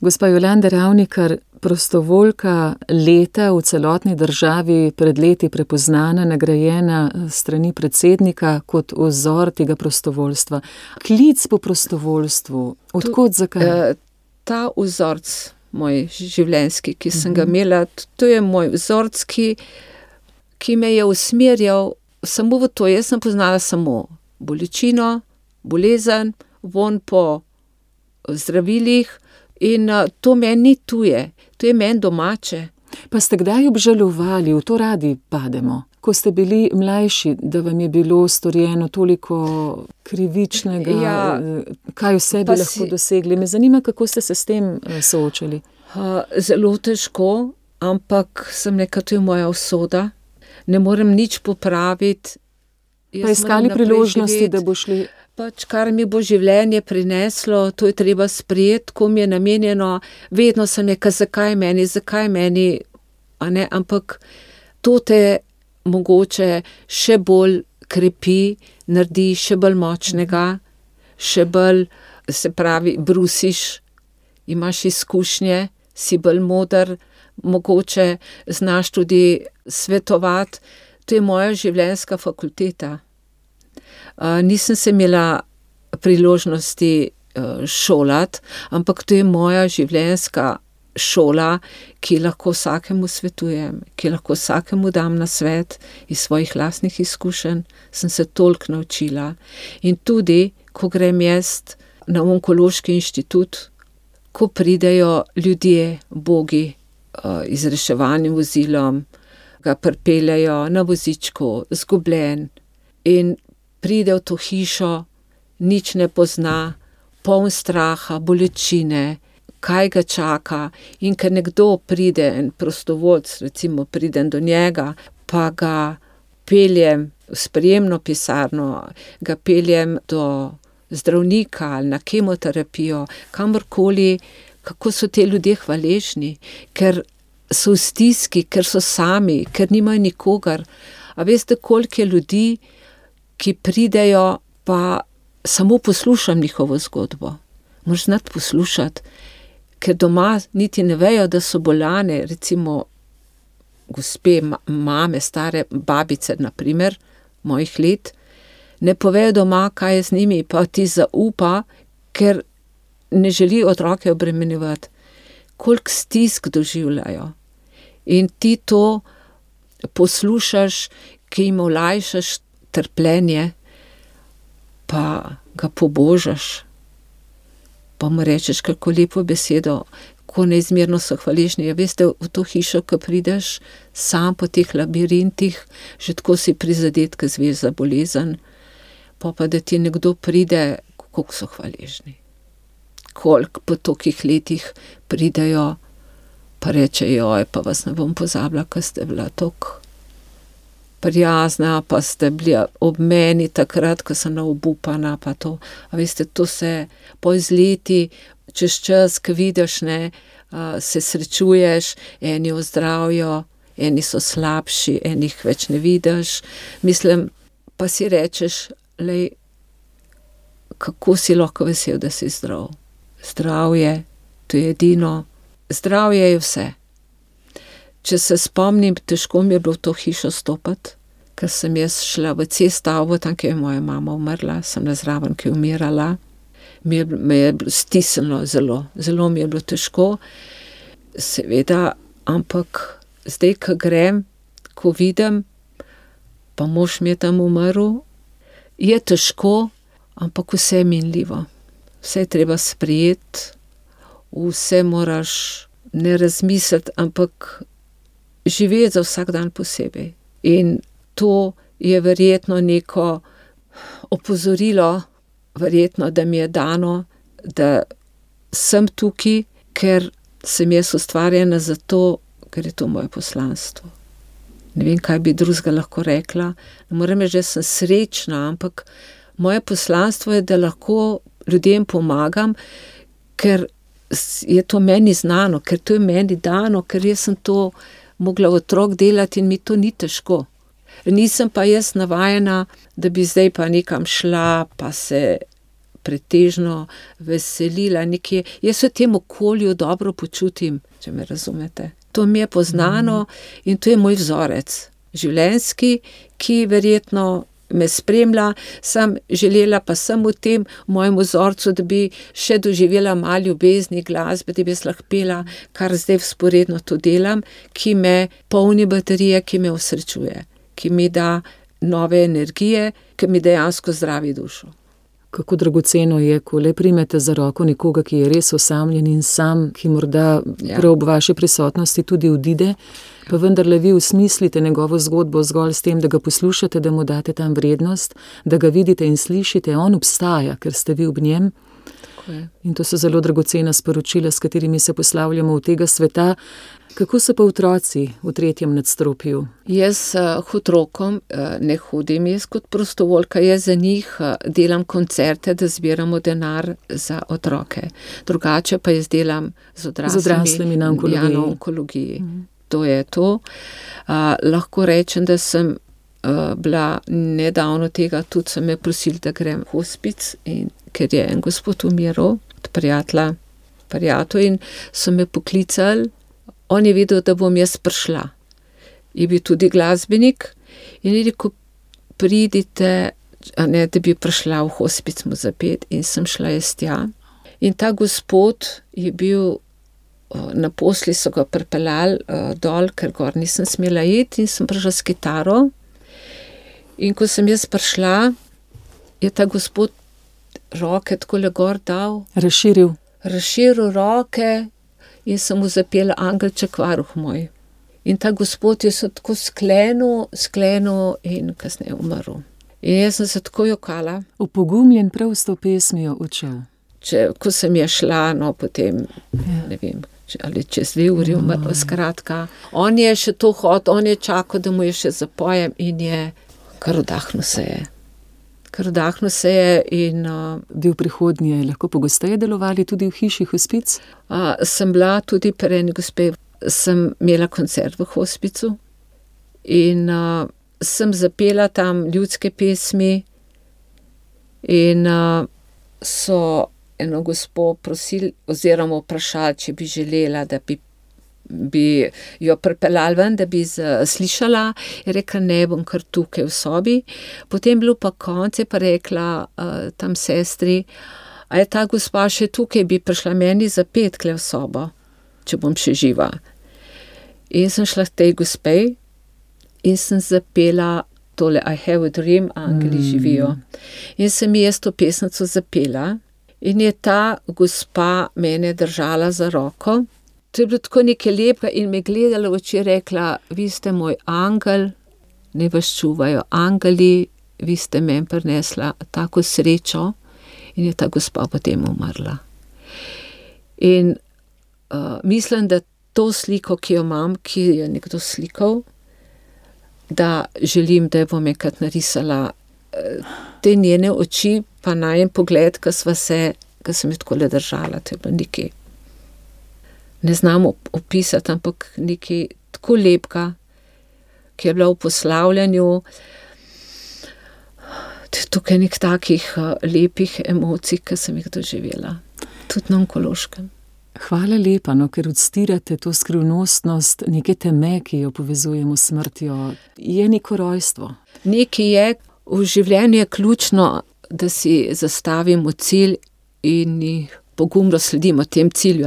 Gospa Jolanda Ravnikar, prostovoljka leta v celotni državi, pred leti prepoznana, nagrajena strani predsednika kot vzor tega prostovoljstva. Klic po prostovoljstvu, odkot, zakaj? Ta vzorc moj življenjski, ki sem ga imela, to je moj vzorc, ki me je usmerjal samo v to. Jaz sem poznala samo bolečino, bolezen, von po zdravilih in to meni ni tuje, to je meni domače. Pa ste kdaj obžalovali, v to radi pademo, ko ste bili mlajši, da vam je bilo storjeno toliko krivičnega, kaj vse bi lahko dosegli? Me zanima, kako ste se s tem soočali. Zelo težko, ampak sem rekla, to je moja usoda. Ne morem nič popraviti. Pa iskali priložnosti, da bo šli. Kar mi bo življenje prineslo, to je treba sprejeti, ko mi je namenjeno. Vedno sem rekla, zakaj meni, ampak to te mogoče še bolj krepi, naredi še bolj močnega, še bolj, se pravi, brusiš, imaš izkušnje, si bolj moder, mogoče znaš tudi svetovati. To je moja življenjska fakulteta. Nisem se imela priložnosti šolati, ampak to je moja življenjska šola, ki lahko vsakemu svetujem, ki lahko vsakemu dam na svet iz svojih lastnih izkušenj, sem se toliko naučila. In tudi, ko grem jaz na onkološki inštitut, ko pridejo ljudje, bogi, z reševalnim vozilom, ga pripeljejo na vozičku, zgubljen in pride v to hišo, nič ne pozna, poln straha, bolečine, kaj ga čaka, in ker nekdo pride, en prostovoljec, recimo pridem do njega, pa ga peljem v sprejemno pisarno, ga peljem do zdravnika ali na kemoterapijo, kamorkoli, kako so te ljudje hvaležni, ker so v stiski, ker so sami, ker nimajo nikogar. A veste, koliko je ljudi, ki pridejo, pa samo poslušam njihovo zgodbo. Moraš znati poslušati, ker doma niti ne vejo, da so bolane, recimo gospe, mame, stare babice, na primer, mojih let, ne povejo doma, kaj je z njimi, pa ti zaupa, ker ne želi otroke obremenjevati. Koliko stisk doživljajo. In ti to poslušaš, ki jim olajšaš trpljenje, pa ga pobožaš, pa mu rečeš kako lepo besedo, ko neizmerno so hvaležni. Ja, veste, v to hišo, ko prideš sam po teh labirintih, že tako si prizadet, ko zveš za bolezen, pa da ti nekdo pride, koliko so hvaležni. Koliko po tolikih letih pridejo, pa rečejo, pa vas ne bom pozabila, ko ste bila toliko prijazna, pa ste bili ob meni takrat, ko sem obupana, pa to. A veste, to se po izleti, čez čas, ko vidiš, ne, se srečuješ, eni ozdravijo, eni so slabši, enih več ne vidiš. Mislim, pa si rečeš, lej, kako si lahko vesel, da si zdrav. Zdravje, to je edino. Zdravje je vse. Če se spomnim, težko mi je bilo v to hišo stopiti, ker sem jaz šla v C-stavbo, tam, kjer je moja mama umrla, sem bila zraven, ki je umirala. Me je stisnilo zelo mi je bilo težko. Seveda, ampak zdaj, ko grem, ko vidim, pa mož mi je tam umrl, je težko, ampak vse je minljivo. Vse je treba sprejeti, vse moraš ne razmisliti, ampak živeti za vsak dan posebej. In to je verjetno neko opozorilo, verjetno, da mi je dano, da sem tukaj, ker sem jaz ustvarjena zato, ker je to moje poslanstvo. Ne vem, kaj bi drugega lahko rekla. Ne morem reči, da sem srečna, ampak moje poslanstvo je, da lahko ljudem pomagam, ker je to meni znano, ker to je meni dano, ker jaz sem to mogla otrok delati in mi to ni težko. Nisem pa jaz navajena, da bi zdaj pa nekam šla, pa se pretežno veselila nekje. Jaz v tem okolju dobro počutim, če me razumete. To mi je poznano in to je moj vzorec življenjski, ki verjetno me spremlja, sem želela pa sem v tem mojem vzorcu, da bi še doživela malo ljubezni, glasbe, da bi jaz lahko pela, kar zdaj vzporedno to delam, ki me polni baterije, ki me osrečuje, ki mi da nove energije, ki mi dejansko zdravi dušo. Kako dragoceno je, ko le primete za roko nekoga, ki je res osamljen in sam, ki morda prav ob vaši prisotnosti tudi odide, pa vendarle vi usmislite njegovo zgodbo zgolj s tem, da ga poslušate, da mu date tam vrednost, da ga vidite in slišite, on obstaja, ker ste vi ob njem. In to so zelo dragocena sporočila, s katerimi se poslavljamo v tega sveta. Kako so pa otroci v 3. nadstropju? Jaz otrokom ne hodim, jaz kot prostovoljka, jaz za njih delam koncerte, da zbiramo denar za otroke. Drugače pa jaz delam z odraslimi na onkologiji. To je to. Lahko rečem, da sem bila nedavno tega, tudi sem me prosili, da grem v hospic, in ker je en gospod umiral od prijatelja, in so me poklicali. On je vedel, da bom jaz prišla. Je bil tudi glasbenik in je rekel, pridite, da bi prišla v hospic mu zapet, in sem šla jaz tja. In ta gospod je bil Na posli so ga pripeljali dol, ker gor nisem smela iti in sem prišla s kitaro. In ko sem jaz prišla, je ta gospod roke takole gor dal. Razširil roke in sem mu zapela Angelček varuh moj. In ta gospod je se tako sklenil in kasneje umrl. In jaz sem se tako jokala. Opogumljen prav s to pesmijo odšel. Ko sem je šla, no potem, ne vem, ali čez 2 uri umrl, skratka. On je še to hotel, on je čakal, da mu je še zapojem in je kar vdahnil se je. In bi v prihodnje lahko pogosteje delovali tudi v hiši hospic? Sem bila tudi pri eni gospe, sem imela koncert v hospicu in sem zapela tam ljudske pesmi in so eno gospo prosili oziroma vprašali, če bi želela, da bi jo pripeljali ven, da bi slišala. Je rekla, ne, bom kar tukaj v sobi. Potem bilo pa konec, je pa rekla tam sestri, a je ta gospa še tukaj, bi prišla meni zapet kle v sobo, če bom še živa. In sem šla k tej gospej in sem zapela tole I have a dream, angeli živijo. In sem jaz to pesnico zapela in je ta gospa mene držala za roko. To je bilo tako nekaj lepega in me gledala v oči, rekla, vi ste moj angel, ne vas čuvajo angeli, vi ste meni prinesla tako srečo. In je ta gospa potem umrla. In mislim, da to sliko, ki jo imam, ki je nekdo slikal, da želim, da jo bom enkrat narisala. Te njene oči, pa najen pogled, ko sem jo takole držala, to je bilo nekaj. Ne znam opisati, ampak nekaj tako lepega, ki je bila v poslavljanju. Tukaj nek takih lepih emocij, ki sem jih doživela. Tudi na onkološkem. Hvala lepa, ker odstirate to skrivnostnost neke teme, ki jo povezujemo s smrtjo. Je neko rojstvo. Nekaj je, v življenju je ključno, da si zastavimo cilj in pogumno sledimo tem cilju.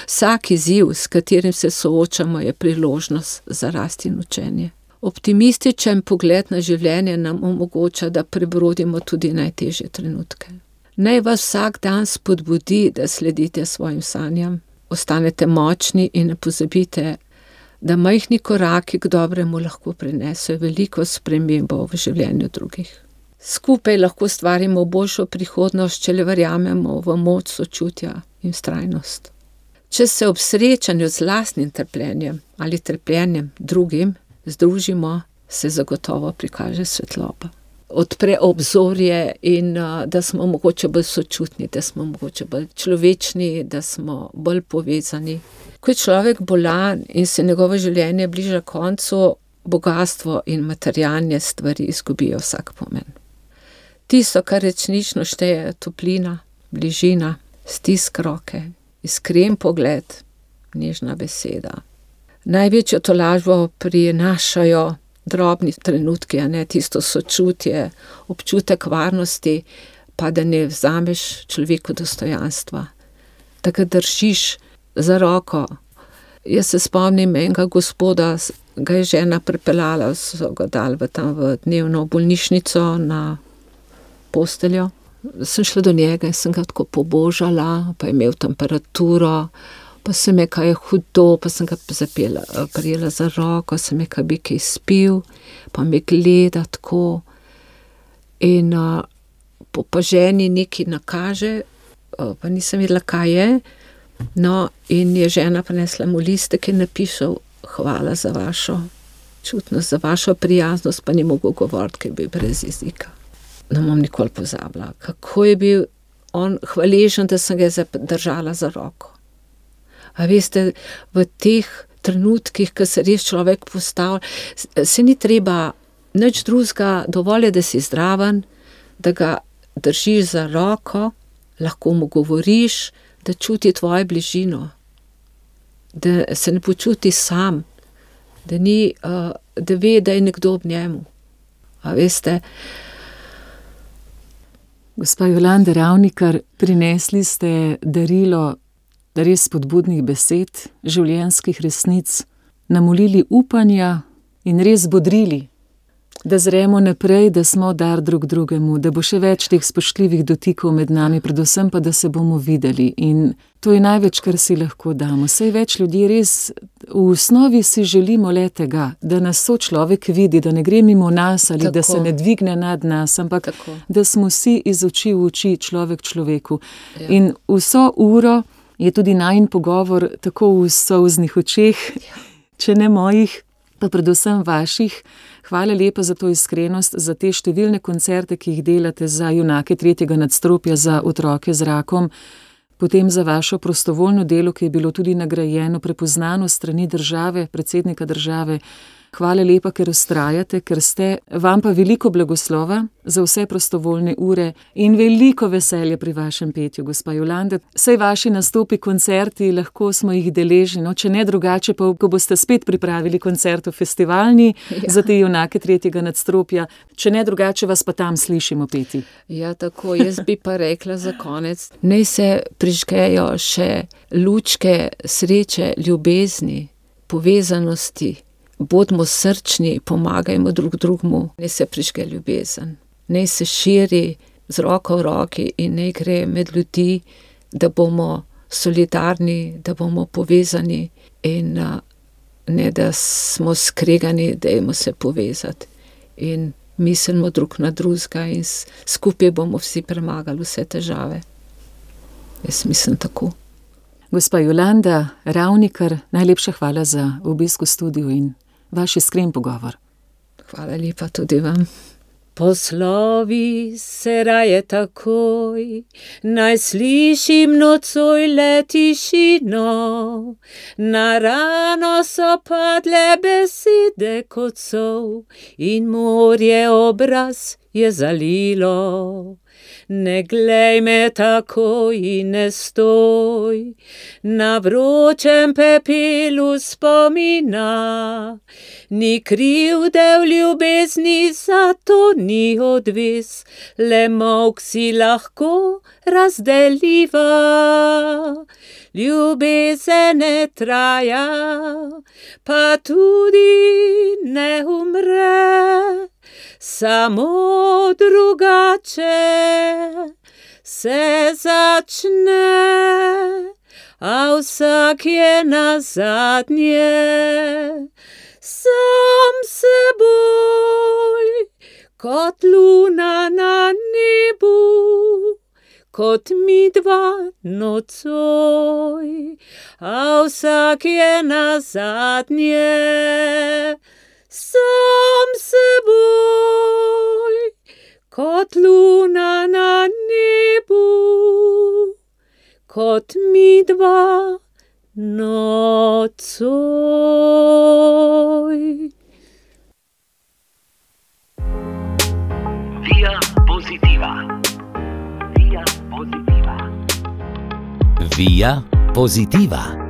Vsak izziv, s katerim se soočamo, je priložnost za rast in učenje. Optimističen pogled na življenje nam omogoča, da prebrodimo tudi najtežje trenutke. Naj vas vsak dan spodbudi, da sledite svojim sanjam, ostanete močni in ne pozabite, da majhni koraki k dobremu lahko prinesejo veliko spremembo v življenju drugih. Skupaj lahko ustvarimo boljšo prihodnost, če le verjamemo v moč sočutja in vztrajnost. Če se ob srečanju z lastnim trpljenjem ali trpljenjem drugim združimo, se zagotovo prikaže svetloba. Odpre obzorje in da smo mogoče bolj sočutni, da smo mogoče bolj človečni, da smo bolj povezani. Ko je človek bolan in se njegovo življenje bliža koncu, bogastvo in materialne stvari izgubijo vsak pomen. Tisto, kar resnično šteje, je toplina, bližina, stisk roke, iskren pogled, nežna beseda. Največjo tolažbo prinašajo drobni trenutki, tisto sočutje, občutek varnosti, pa da ne vzameš človeku dostojanstva, da ga držiš za roko. Jaz se spomnim enega gospoda, ga je žena pripeljala, so ga dali v dnevno bolnišnico na posteljo. Sem šla do njega in sem ga tako pobožala, pa je imel temperaturo, pa sem me, kaj je hudo, pa sem ga prijela za roko, sem me, kaj bi kaj spil, pa me gleda tako. In pa ženi nekaj nakaže, pa nisem vedela, kaj je. No, in je žena prinesla mu listek in napišel, hvala za vašo čutnost, za vašo prijaznost, pa ni mogel govoriti, ker je bil brez jezika. Ne bom nikoli pozabila, kako je bil on hvaležen, da sem ga držala za roko. A veste, v teh trenutkih, ko se res človek postavlja, se ni treba nič drugega, dovolj je, da si zdraven, da ga držiš za roko, lahko mu govoriš, da čuti tvojo bližino, da se ne počuti sam, da ve, da je nekdo ob njemu. A veste, gospa Jolanda Ravnikar, prinesli ste darilo res spodbudnih besed, življenjskih resnic, namolili upanja in res bodrili, da zremo naprej, da smo dar drug drugemu, da bo še več teh spoštljivih dotikov med nami, predvsem pa, da se bomo videli. In to je največ, kar si lahko damo. Saj več ljudi res v osnovi si želimo le tega, da nas sočlovek vidi, da ne gre mimo nas ali da se ne dvigne nad nas, ampak da smo vsi iz oči v oči, človek človeku. Ja. In vso uro je tudi najin pogovor tako v solznih očeh, če ne mojih, pa predvsem vaših. Hvala lepa za to iskrenost, za te številne koncerte, ki jih delate za junake 3. nadstropja, za otroke z rakom, potem za vašo prostovoljno delo, ki je bilo tudi nagrajeno, prepoznano strani države, predsednika države. Hvala lepa, ker vztrajate, ker ste, vam pa veliko blagoslova za vse prostovoljne ure in veliko veselja pri vašem petju, gospa Jolanda. Saj vaši nastopi, koncerti, lahko smo jih deležni, no, če ne drugače, pa ko boste spet pripravili koncert v festivalni za te junake 3. nadstropja, če ne drugače, vas pa tam slišimo peti. Ja, tako, jaz bi pa rekla za konec, naj se prižgejo še lučke sreče, ljubezni, povezanosti. Bodimo srčni, pomagajmo drug drugemu, naj se prižge ljubezen, naj se širi z roko v roki in naj gre med ljudi, da bomo solidarni, da bomo povezani in ne da smo skregani, dajmo se povezati in mislimo drug na drugega in skupaj bomo vsi premagali vse težave. Jaz mislim tako. Gospa Jolanda Ravnikar, najlepša hvala za obisk v studiu in vaš iskren pogovor. Hvala lepa tudi vam. Poslovi se raje takoj, naj slišim nocoj le tišino, na rano so padle besede kot sol in morje obraz je zalilo. Ne glej me takoj in ne stoj, na vročem pepelu spomina, ni krivde v ljubezni, zato ni odvis, le molk si lahko razdeljiva. Ljubezen ne traja, pa tudi ne umre, samo drugače se začne, a vsak je nazadnje sam seboj, kot luna na nebu, kot midva nocoj, a vsak je nazadnje sam seboj, kot luna na nebu, kot midva nocoj. Via Positiva. Via Positiva. Via Positiva.